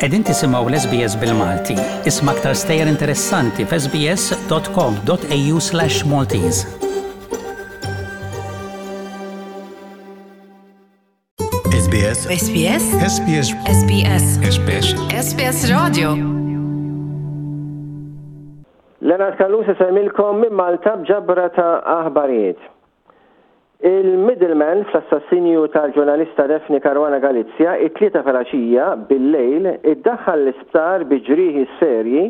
Qegħdin tisimgħu l-SBS bil-Malti. Isma' aktar stejjer interessanti f'sbs.com.au/Maltese. SBS SBS SBS SBS SBS SBS Radio Leonard Callus isellmilkom minn Malta b'ġabra ta' aħbarijiet. Il-middleman fl-assassinju tal-ġurnalista Daphne Caruana Galizia it-Tlieta filgħaxija bil-lejl iddaħħal l-isptar bi ġrieħi serji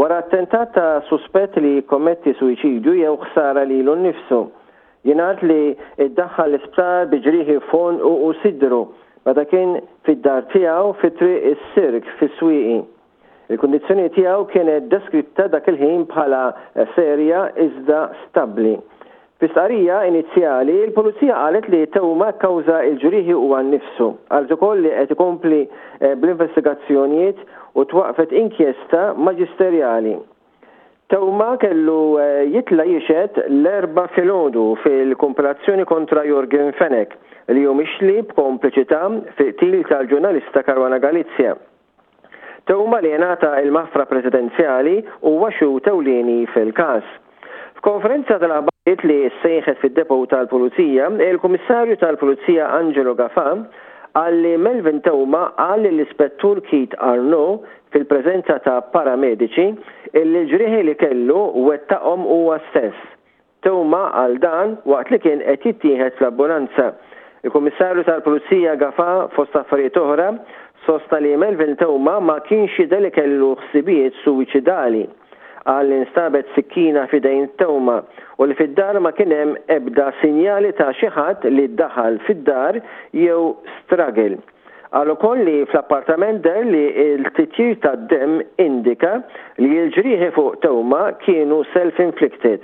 wara attentat ta' suspett li jikkommetti suwiċidju jew ħsara lilu nnifsu. Jingħad li ddaħħal l-isptar bi ġrieħi f'għonqu u sidru meta kien fid-dar tiegħu fi Triq is-Sirk fis-Swieqi. Il-kundizzjoni tiegħu kienet deskritta dak il-ħin bħala serja iżda stabbli. Fi stqarrija inizjali, il-Pulizija qalet li Theuma kkawża l-ġrieħi huwa nnifsu. Qalet ukoll li qed ikompli bl-investigazzjonijiet u twaqqfet inkjesta maġisterjali. Theuma kellu jitla' jixhed l-Erbgħa filgħodu fil-kumpilazzjoni kontra Yorgen Fenech, li hu mixli b'kompliċità fil-qtil tal-ġurnalista Caruana Galizia. Theuma li ngħata l-maħfra presidenzjali huwa xhud ewlieni fil-każ. F'konferenza tal-aħbarijiet li ssejħet fid-depot tal-Pulizija, il-Kummissarju tal-Pulizija Angelo Gafà qal li Melvin Theuma qal lill-Ispettur Keith Arnaud fil-preżenza ta' paramediċi illi l-ġrieħi li kellu wettaqhom huwa stess. Theuma qal dan waqt li kien qed jittieħed fl-ambulanza. Il-Kummissarju tal-Pulizija Gafà fost affarijiet oħra sostna li Melvin Theuma ma kienx jidher li kellu ħsibijiet suwiċidali. Qal li nstabet sikkina f'idejn Theuma u li fid-dar ma kien hemm ebda sinjali ta' xi ħadd li daħal fid-dar jew struggle. Qal ukoll li fl-appartament deher li l-titjir tad-demm indika li l-ġrieħi fuq Theuma kienu self-inflicted.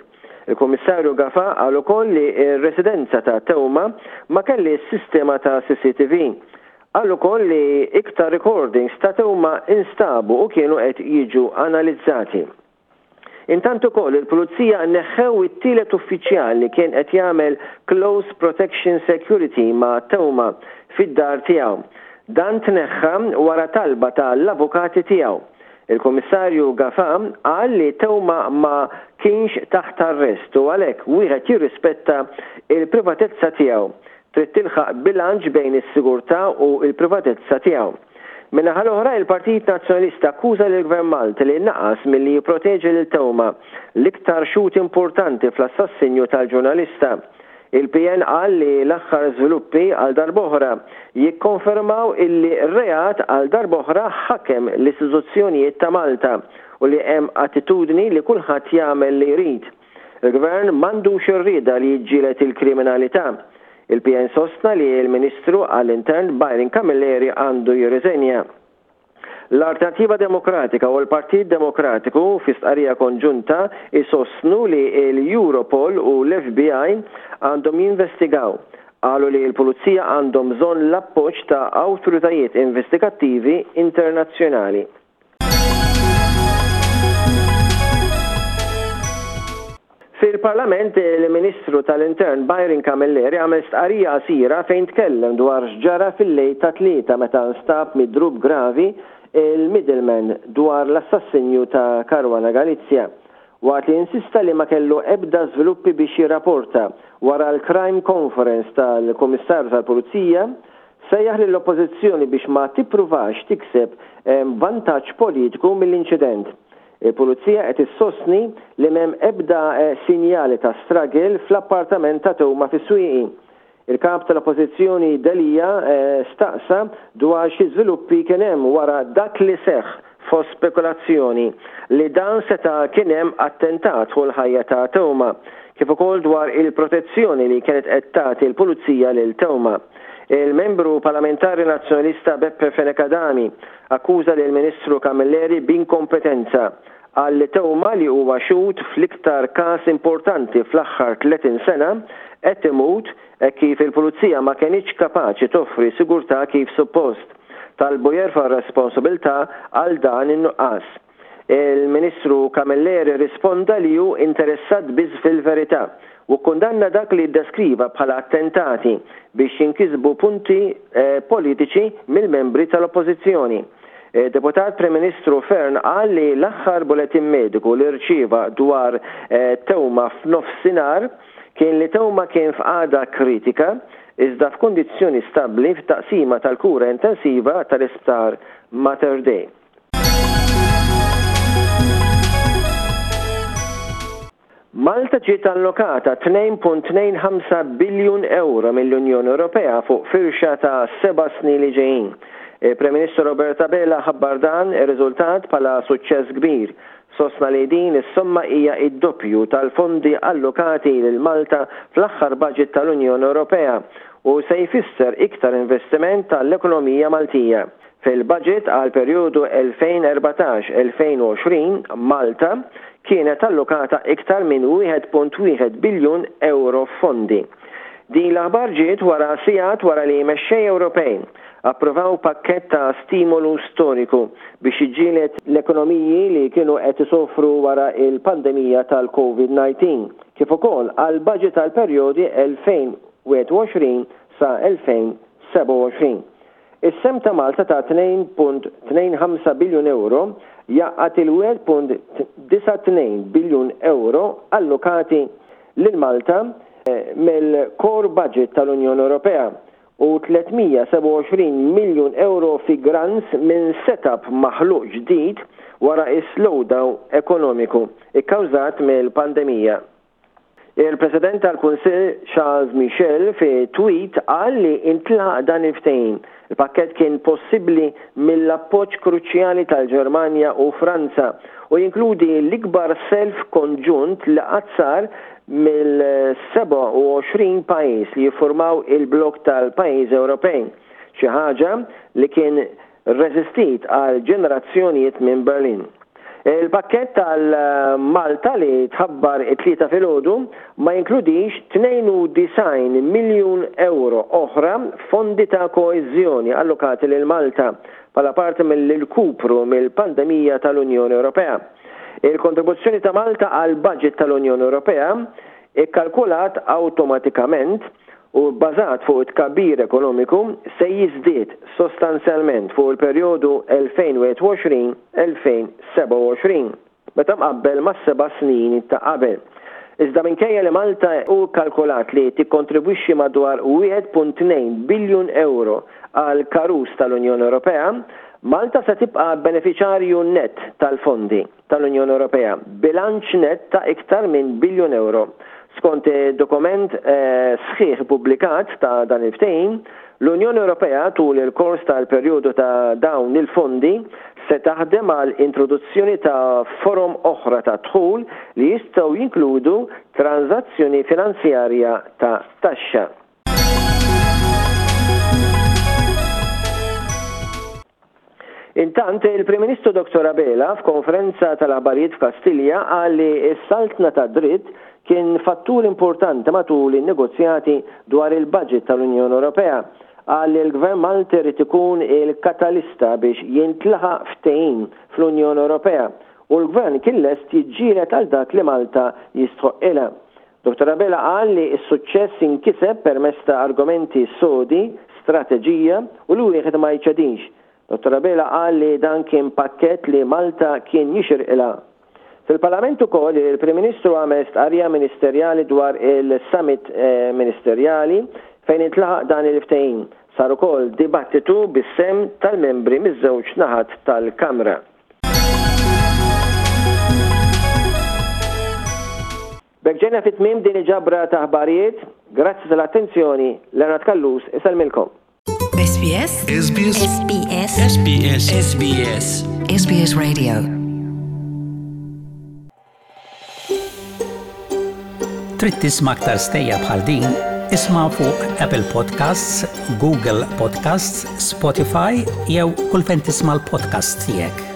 Il-Kummissarju Gafà qal ukoll li r-residenza ta' Theuma ma kellhiex sistema ta' CCTV. Qal ukoll li iktar recordings ta' Theuma instabu u kienu qed jiġu analizzati. Intant ukoll il-Pulizija neħħew it-tielet uffiċjal li kien qed jagħmel close protection security ma' Theuma fid-dar tiegħu. Dan tneħħa wara talba ta' l-avukati tiegħu. Il-Kummissarju Gafà qal li Theuma ma kienx taħt arrest u għalhekk wieħed jirrispetta l-privatezza tiegħu. Trid tilħaq bilanċ bejn is-sigurtà u l-privatezza tiegħu. Min-naħa l-oħra, il-Partit Nazzjonalista akkuża lill-Gvern Malti li naqas milli jipproteġi lil Theuma, l-iktar xhud importanti fl-assassinju tal-ġurnalista. Il-PN qal li l-aħħar żviluppi għal darb'oħra jikkonfermaw illi r-reat għal darb'oħra ħakem l-istituzzjonijiet ta' Malta u li hemm attitudni li kulħadd jagħmel li jrid. Il-Gvern m'għandux ir-rieda li jiġġieled il-kriminalità. Il-PN sostna li l-Ministru għall-Intern Byron Camilleri għandu jirriżenja. L-Alternattiva Demokratika u l-Partit Demokratiku fi stqarrija konġunta jsostnu li l-Europol u l-FBI għandhom jinvestigaw. Qalu li l-Pulizija għandhom bżonn l-appoġġ ta' awtoritajiet investigattivi internazzjonali. Fil-Parlament, il-Ministru tal-Intern Byron Camilleri għamel stqarrija qasira fejn tkellem dwar x'ġara fil-lejl tat-Tlieta meta nstab midrub gravi il-middleman dwar l-assassinju ta' Caruana Galizia. Waqt li insista li ma kellu ebda żviluppi biex jirraporta wara l-Crime Conference tal-Kummissarju tal-Pulizija, Sejjaħ lill-Oppożizzjoni biex ma tippruvax tikseb vantaġġ politiku mill-inċident. Il-Pulizija qed issostni li m'hemm ebda sinjali ta' struggle fl-appartament ta' Theuma fis-Swieqi. Il-Kap tal-Oppożizzjoni Delia staqsa dwar xi żviluppi kien hemm wara dak li seħħ fost spekulazzjoni li dan seta' kien hemm attentat fuq il-ħajja ta' Theuma, kif ukoll dwar il-protezzjoni li kienet qed tagħti l-Pulizija lil Theuma. Il-Membru Parlamentari Nazzjonalista Beppe Fenech Adami akkuża lill-Ministru Camilleri b'inkompetenza. Qal li Theuma li huwa xhud fl-iktar każ importanti fl-aħħar 30 sena qed imut hekk kif il-Pulizija ma kenitx kapaċi toffri sigurtà kif suppost. Talbu jerfa' r-responsabilità għal dan in-nuqqas. Il-Ministru Camilleri rrisponda li hu interessat biss fil-verità u kkundanna dak li ddeskriva bħala attentati biex jinkisbu punti politiċi mill-membri tal-Oppożizzjoni. Id-Deputat Prim Ministru Fearne qal li l-aħħar bulettin mediku li rċieva dwar Theuma f'nofsinhar kien li Theuma kien f'qagħda kritika iżda f'kundizzjoni stabbli f'taqsima tal-kura intensiva tal-Isptar Mater Dei. Malta ġiet allokata 2.25 biljun ewro mill-Unjoni Ewropea fuq firxa ta' seba' snin li ġejjin. Il-Prim Ministru Robert Abela ħabbar dan ir-riżultat bħala suċċess kbir. Sostna li din is-somma hija d-doppju tal-fondi allokati lil Malta fl-aħħar baġit tal-Unjoni Ewropea u se jfisser iktar investiment għall-ekonomija Maltija. Fil-baġit għall-perjodu 2014-2020, Malta kienet allokata iktar minn 1.1 biljun ewro f'fondi. Din l-aħbar ġiet wara sigħat wara li mexxejja Ewropej approvaw pakkett ta' stimolu storiku biex jiġġieled l-ekonomiji li kienu qed isofru wara l-pandemija tal-Covid 19, kif ukoll għall-baġit għall-perjodi 2021 sa 2027. Is-sehem ta' Malta ta' 2.25 biljun ewro jgħaqqad il-1.92 biljun ewro allokati lil Malta mill-core budget tal-Unjoni Ewropea u 327 miljun ewro fi grants minn setup maħluq ġdid wara s-slowdown ekonomiku kkawżat mill-pandemija. Il-President tal-Kunsill Charles Michel fi tweet qal li intlaħaq dan il-ftehim. Il-pakkett kien possibbli mill-appoġġ kruċjali tal-Ġermanja u Franza u jinkludi l-ikbar self konġunt li qatt sar mill-27 pajjiż li jiffurmaw il-blokk tal-pajjiżi Ewropej, xi ħaġa li kien rreżistit għal ġenerazzjonijiet minn Berlin. Il-pakkett għal Malta li tħabbar it-Tlieta filgħodu ma jinkludix 92 miljun ewro oħra f'fondi ta' koeżjoni allokati lil Malta bħala parti mill-irkupru mill-pandemija tal-Unjoni Ewropea. Il-kontribuzzjoni ta' Malta għall-baġit tal-Unjoni Ewropea, ikkalkulat awtomatikament, u bbażat fuq it-tkabbir ekonomiku se jiżdied sostanzjalment fuq il-perjodu 2021, 2027 meta mqabbel mas-seba' snin ta' qabel. Iżda minkejja li Malta hu kkalkulat li tikkontribwixxi madwar 1.2 biljun ewro għall-karus tal-Unjoni Ewropea, Malta se tibqa' benefiċarju nett tal-fondi. tal-Unjoni Ewropea, b'bilanċ nett ta' iktar minn biljun ewro. Skont id-dokument sħiħ ippubblikat ta' dan il-ftehim, l-Unjoni Ewropea tul il-kors tal-perjodu ta' dawn il-fondi se taħdem għal introduzzjoni ta' forom oħra ta' dħul li jistgħu jinkludu tranżazzjoni finanzjarja ta' taxxa. Intant, il-Prim Ministru Dottor Abela f'konferenza tal-aħbarijiet f'Kastilja qal li s-saltna tad-dritt kien fattur importanti matul in-negozjati dwar il-budget tal-Unjoni Ewropea. Qal li l-Gvern Malti rrid ikun il-katalista biex jintlaħaq ftehim fl-Unjoni Ewropea u l-Gvern kien lest jiġġieled għal dak li Malta jistħoqqilha. Dottor Abela qal li s-suċċess inkiseb permezz ta' argumenti sodi, strateġija u li wieħed ma jċedix. Dottor Abela qal li dan kien pakkett li Malta kien jixirqilha. Fil-Parlament ukoll il-Prim Ministru għamel stqarrija ministerjali dwar il-Summit Ministerjali fejn intlaħaq dan il-ftehim. Sar ukoll dibattitu bis-sehem tal-membri miż-żewġ naħat tal-Kamra. B'hekk ġejna fi tmiem din il-ġabra ta' aħbarijiet. Grazzi tal-attenzjoni, Leonard Callus isellmilkom. SBS SBS SBS SBS SBS SBS Radio Trid tisma' aktar stejjer bħal din? Isma' fuq Apple Podcasts, Google Podcasts, Spotify jew kull fejn tisma' l-podcasts tiegħek.